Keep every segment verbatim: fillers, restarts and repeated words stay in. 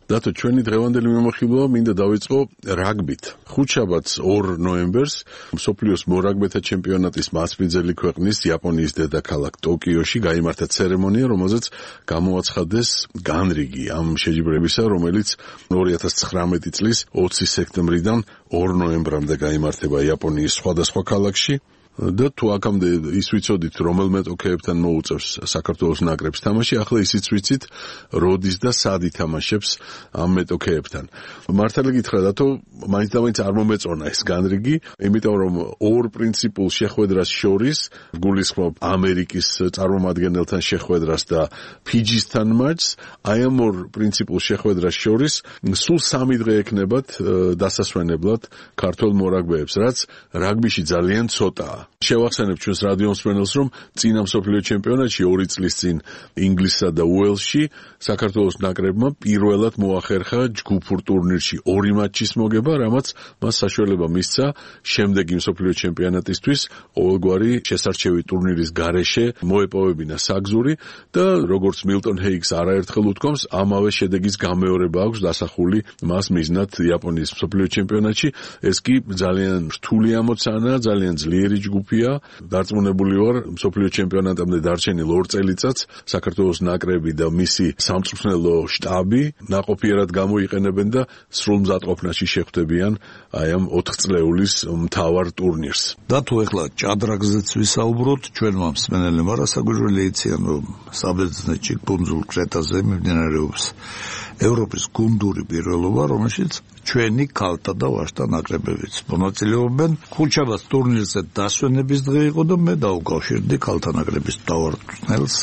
დათო, ჩვენი დღევანდელი მიმოხილვა მინდა დავიწყო რაგბით. ხუთშაბათს ორ ნოემბერს მსოფლიოს მორაგბეთა ჩემპიონატის მასპინძელი ქვეყნის იაპონიის დედაქალაქ ტოკიოში გაიმართა ცერემონია, რომელზეც გამოაცხადეს განრიგი ამ შეჯიბრებისა, რომელიც ორი ათას ცხრამეტი წლის ოცი სექტემბრიდან ორ ნოემბრამდე გაიმართება იაპონიის სხვადასხვა ქალაქში. და თუ აქამდე ის ვიცოდით, რომელ მეტოქეებთან მოუწევს საქართველოს ნაკრებს თამაში, ახლა ისიც ვიცით, როდის და სად ითამაშებს ამ მეტოქეებთან. მართალი გითხრა, დათო, მაინც და მაინც არ მომეწონა ეს განრიგი, იმიტომ რომ ორ პრინციპულ შეხვედრას შორის, გულისხმობ ამერიკის წარმომადგენელთან შეხვედრას და ფიჯისთან მატჩს, აი ამ ორ პრინციპულ შეხვედრას შორის სულ სამი დღე ექნებათ დასასვენებლად ქართველ მორაგბეებს, რაც რაგბიში ძალიან ცოტაა. შევახსენებ ჩვენს რადიო მსმენელს, რომ წინა მსოფლიო ჩემპიონატში ორი წლის წინ ინგლისსა და უელსში საქართველოს ნაკრებმა პირველად მოახერხა ჯგუფურ ტურნირში ორი მატჩის მოგება, რამაც მას საშუალება მისცა შემდეგი მსოფლიო ჩემპიონატისთვის ყოველგვარი შესარჩევი ტურნირის გარეშე მოეპოვებინა საგზური და როგორც მილტონ ჰეიგს არაერთხელ უთქვამს, ამავე შედეგის გამეორება აქვს დასახული მას მიზნად იაპონიის მსოფლიო ჩემპიონატში. ეს კი ძალიან რთული ამოცანაა, ძალიან ძლიერი ჯგუფია. დარწმუნებული ვარ, მსოფლიო ჩემპიონატამდე დარჩენილ ორ წელიწადს საქართველოს ნაკრები და მისი სამწვრთნელო შტაბი ნაყოფიერად გამოიყენებენ და სრულ მზადყოფნაში შეხვდებიან აი ამ ოთხწლეულის მთავარ ტურნირს. და თუ ეხლა ჭადრაგზეც ვისაუბროთ, ჩვენმა მსმენელებმა რასაგვირგველი იციან, რომ საბერძნეთში კუნძულ კრეტაზე მიმდინარეობს ევროპის გუნდური პირველობა, რომელშიც ჩვენი ქალთა და ვაჟთა ნაკრებებიც მონაწილეობენ. ხუთშაბათს ტურნირზე დასვენების დღე იყო და მე დავუკავშირდი ქალთა ნაკრების მთავარწვრთნელს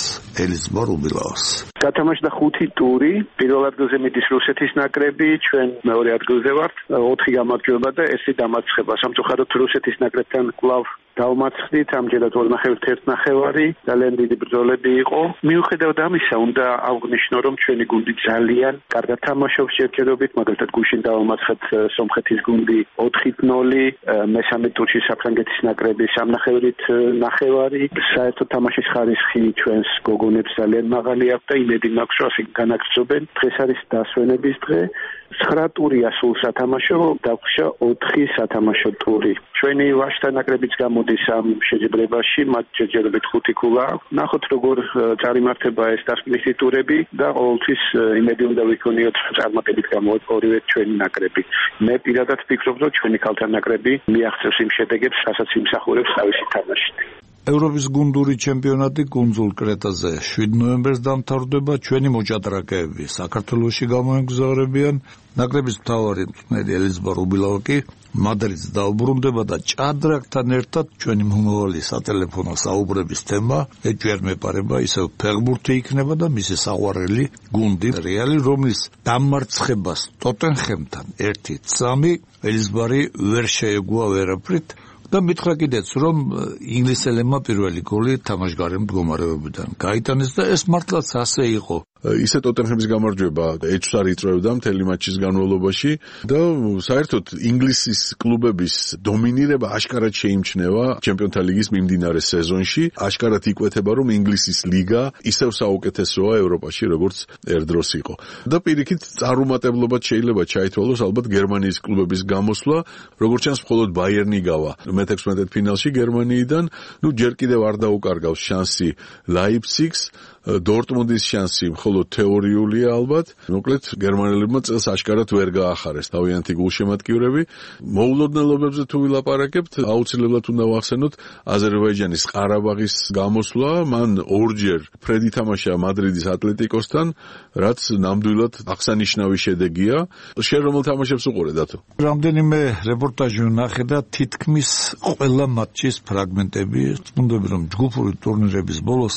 ელიზბარ უბილაოს. გათამაშდა ხუთი ტური, პირველ ადგილზე მიდის რუსეთის ნაკრები, ჩვენ მეორე ადგილზე ვართ, ოთხი გამარჯვება და ერთი დამარცხება. სამწუხაროდ რუსეთის ნაკრებთან კვლავ დავმარცხდით, ამჯერად ორნახევარით ერთნახევარი, ძალიან დიდი ბრძოლები იყო. მიუხედავად ამისა, უნდა აღვნიშნო, რომ ჩვენი გუნდი ძალიან კარგად თამაშობს ჯერჯერობით, მაგალითად გუშინ დავამარცხეთ სომხეთის გუნდი ოთხი ნული, მესამე ტურში საფრანგეთის ნაკრები სამნახევრით ნახევარი. საერთოდ თამაშის ხარისხი ჩვენს გოგონებს ძალიან მაღალი აქვს და იმედი მაქვს, რომ ასე განაგრძობენ. დღეს არის დასვენების დღე. ცხრა ტურია სულ სათამაშო, დაგვშა ოთხი სათამაშო ტური. ჩვენი ვაჟთა ნაკრებიც გამოდის ამ შეჯიბრებაში, მათ ჯერჯერობით ხუთი ქულა. ნახოთ როგორ წარიმართება ეს დასკვნითი ტურები და ყოველთვის იმედი უნდა ვიქონიოთ, წარმატებით გამოვიდეს ორივე ჩვენი ნაკრები. მე პირადად ვფიქრობ, რომ ჩვენი ქალთა ნაკრები მიაღწევს იმ შედეგებს, რასაც იმსახურებს თავისი თამაშით. ევროპის გუნდური ჩემპიონატი კუნძულ კრეტაზე შვიდ ნოემბერს დამთავრდება. ჩვენი მოჭადრაკეები საქართველოში გამოეგზაურებიან. ნაკრების მთავარი მწვრთნელი ელიზბარ უბილაო კი მადრიდს დაუბრუნდება და ჭადრაკთან ერთად ჩვენი მომავალი სატელეფონო საუბრების თემა ეჯერ მეპარება ისევ ფეხბურთი იქნება და მისი საყვარელი გუნდი რეალი, რომლის დამარცხებას ტოტენჰემთან ერთი სამი ელიზბარი ვერ შეეგუა ვერაფრით. და მითხრა კიდეც, რომ ინგლისელებმა პირველი გოლი თამაშგარე მდგომარეობიდან გაიტანეს და ეს მართლაც ასე იყო. ისე ტოტენჰემის გამარჯვება ეჭვს არ იწვევდა მთელი მატჩის განმავლობაში და საერთოდ ინგლისის კლუბების დომინირება აშკარად შეიმჩნევა ჩემპიონთა ლიგის მიმდინარე სეზონში. აშკარად იკვეთება, რომ ინგლისის ლიგა ისევ საუკეთესოა ევროპაში, როგორც ერდროს იყო. და პირიქით წარუმატებლობად შეიძლება ჩაითვალოს ალბათ გერმანიის კლუბების გამოსვლა, როგორც ჩანს მხოლოდ ბაიერნი გავა მეთექვსმეტ ფინალში გერმანიიდან. ნუ ჯერ კიდევ არ დაუკარგავს შანსი ლაიფციგს, დორტმუნდის შანსი მხოლოდ თეორიულია ალბათ. მოკლედ გერმანელებმა წელს აშკარად ვერ გაახარეს თავიანთი გულშემატკივრები. მოულოდნელობებზე თუ ვილაპარაკებთ, აუცილებლად უნდა ვახსენოთ აზერბაიჯანის ყარაბაღის გამოსვლა. მან ორჯერ ფრედი თამაშა მადრიდის ატლეტიკოსთან, რაც ნამდვილად აღსანიშნავი შედეგია. შენ რომელ თამაშებს უყურე, დათო? რამდენიმე რეპორტაჟი ვნახე და თითქმის ყველა მატჩის ფრაგმენტები, თუნდები რომ ჯგუფური ტურნირების ბოლოს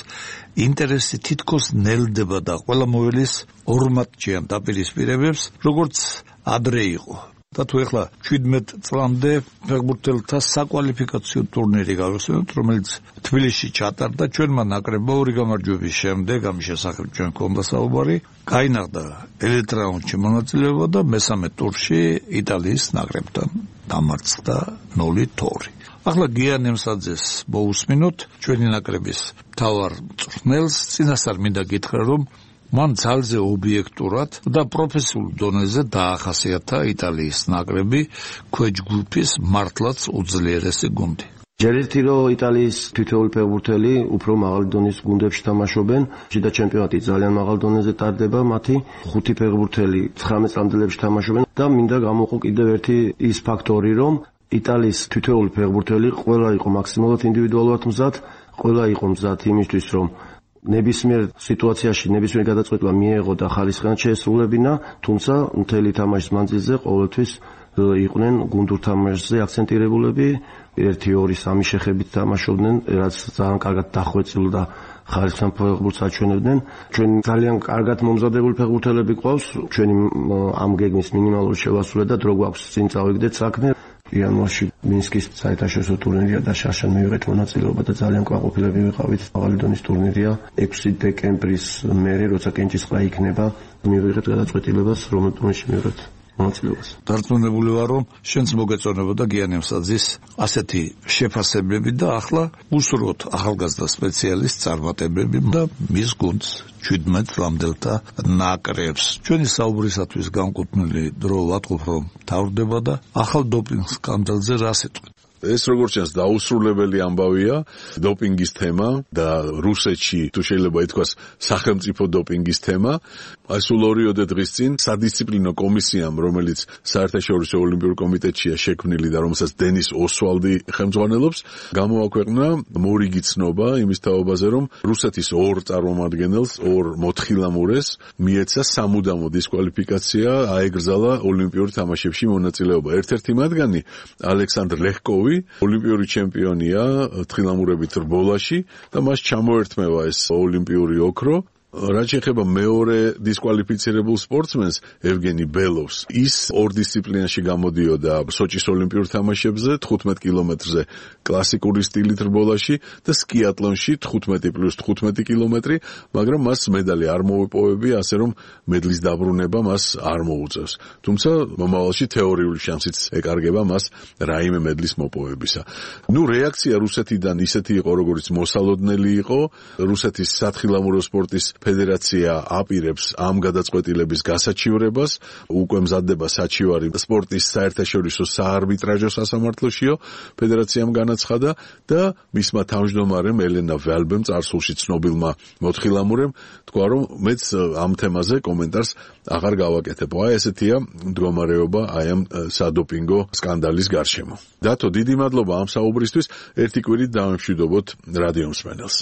ინტერესი თითქოს ნელდება და ყველა მოველის ორ მატჩიან დაპირისპირებებს, როგორც ადრე იყო. და თუ ეხლა შვიდმეტ წლამდე ფეხბურთელთა საკვალიფიკაციო ტურნირი გავიხსენოთ, რომელიც თბილისში ჩატარდა, ჩვენმა ნაკრებმა ორი გამარჯვების შემდეგ, ამის შესახებ ჩვენ გქონდა საუბარი, გაინაღდა ელიტ რაუნდში მონაწილეობა და მესამე ტურში იტალიის ნაკრებთან დამარცხდა ნულით ორი. ახლა გია ნემსაძეს მოусმინოთ, ჩვენი ნაკრების მთავარ მწვრთნელს. წინასწარ მინდა გითხრა, რომ მან ძალზე ობიექტურად და პროფესიულ დონეზე დაახასიათა იტალიის ნაკრები ქვეჯ ჯგუფის მართლაც უძლიერესი გუნდი. ჯერ ერთი რომ იტალიის თითოეული ფეხბურთელი უფრო მაღალი დონის გუნდებში თამაშობენ, შიდა ჩემპიონატი ძალიან მაღალ დონეზე ტარდება, მათი ხუთი ფეხბურთელი ცხრამეტ წლამდელებში თამაშობენ და მინდა გამოვყო კიდევ ერთი ის ფაქტორი, რომ იტალიის თითოეული ფეხბურთელი ყველა იყო მაქსიმალურად ინდივიდუალურად მზად, ყველა იყო მზად იმისთვის, რომ ნებისმიერ სიტუაციაში ნებისმიერ გადაწყვეტილება მიეღო და ხალისხიანად შეესრულებინა, თუმცა მთელი თამაშის მანძილზე ყოველთვის იყვნენ გუნდურ თამაშზე აქცენტირებულები, ერთი ორი სამი შეხებით თამაშობდნენ, რაც ძალიან კარგად დახვეწილ და ხალისხიან ფეხბურთს აჩვენებდნენ. ჩვენ ძალიან კარგად მომზადებული ფეხბურთელები გვყავს, ჩვენი ამ გეგმის მინიმალური შევასრულე და დრო გვაქვს წინ წავიგდეთ საქმე. იანვარში მინსკის საერთაშორისო ტურნირია და შარშან მივიღეთ მონაწილეობა და ძალიან კმაყოფილები ვიყავით. მაღალი დონის ტურნირია. ექვსი დეკემბრის მერე, როცა კენჭისყრა იქნება, მივიღეთ გადაწყვეტილებას, რომელ ტურნირში მივიღეთ მონაწილეობას. დარწმუნებული ვარ, რომ შენც მოგეწონებოდა გიანემ საძის ასეთი შეფასებები და ახლა უსურვოთ ახალგაზრდა სპეციალისტ წარმატებები და მის გუნდს შვიდმეტ ლამდელთა ნაკრებს. ჩვენი საუბრისათვის განკუთვნილი დრო ვატყობ, რომ თავდება და ახალ დოპინგ სკანდალზე რას ეტყვით? ეს როგორც ჩანს დაუსრულებელი ამბავია, დოპინგის თემა და რუსეთში თუ შეიძლება ითქვას სახელმწიფო დოპინგის თემა. აი სულ ორიოდე დღის წინ სადისციპლინო კომისიამ, რომელიც საერთაშორისო ოლიმპიურ კომიტეტშია შექმნილი და რომელსაც დენის ოსვალდი ხელმძღვანელობს, გამოაქვეყნა მორიგი ცნობა იმის თაობაზე, რომ რუსეთის ორ წარმომადგენელს, ორ მოთხილამურეს მიეცა სამუდამო დისკვალიფიკაცია, აეგრძალა ოლიმპიურ თამაშებში მონაწილეობა. ერთ-ერთი მათგანი ალექსანდრ ლეხკოვი ოლიმპიური ჩემპიონია თხილამურებით რბოლაში და მას ჩამოერთმევა ეს ოლიმპიური ოქრო. რაც შეეხება მეორე დისკვალიფიცირებულ სპორტსმენს ევგენი ბელოვს, ის ორ დისციპლინაში გამოდიოდა სოჭის ოლიმპიურ თამაშებზე თხუთმეტ კილომეტრზე კლასიკური სტილით რბოლაში და სკიატლონში თხუთმეტი პლუს თხუთმეტი კილომეტრი, მაგრამ მას მედალი არ მოუპოვებია, ასე რომ მედლის დაბრუნება მას არ მოუწევს. თუმცა მომავალში თეორიული შანსიც ეკარგება მას რაიმე მედლის მოპოვებისა. ნუ რეაქცია რუსეთიდან ისეთი იყო, როგორც მოსალოდნელი იყო. რუსეთის სათხილამურო სპორტის ფედერაცია აპირებს ამ გადაწყვეტილების გასაჩივრებას, უკვე მზადდება საჩივარი სპორტის საერთაშორისო საარბიტრაჟო სასამართლოშიო ფედერაციამ განაცხადა და მისმა თავმჯდომარემ ელენა ვალბემ, წარსულში ცნობილმა მოთხილამურემ, თქვა, რომ მეც ამ თემაზე კომენტარს აღარ გავაკეთებ. აი ესეთია მდგომარეობა აი ამ სადოპინგო სკანდალის გარშემო. დათო, დიდი მადლობა ამ საუბრისთვის. ერთი კვირით დავემშვიდობოთ რადიო მსმენელს.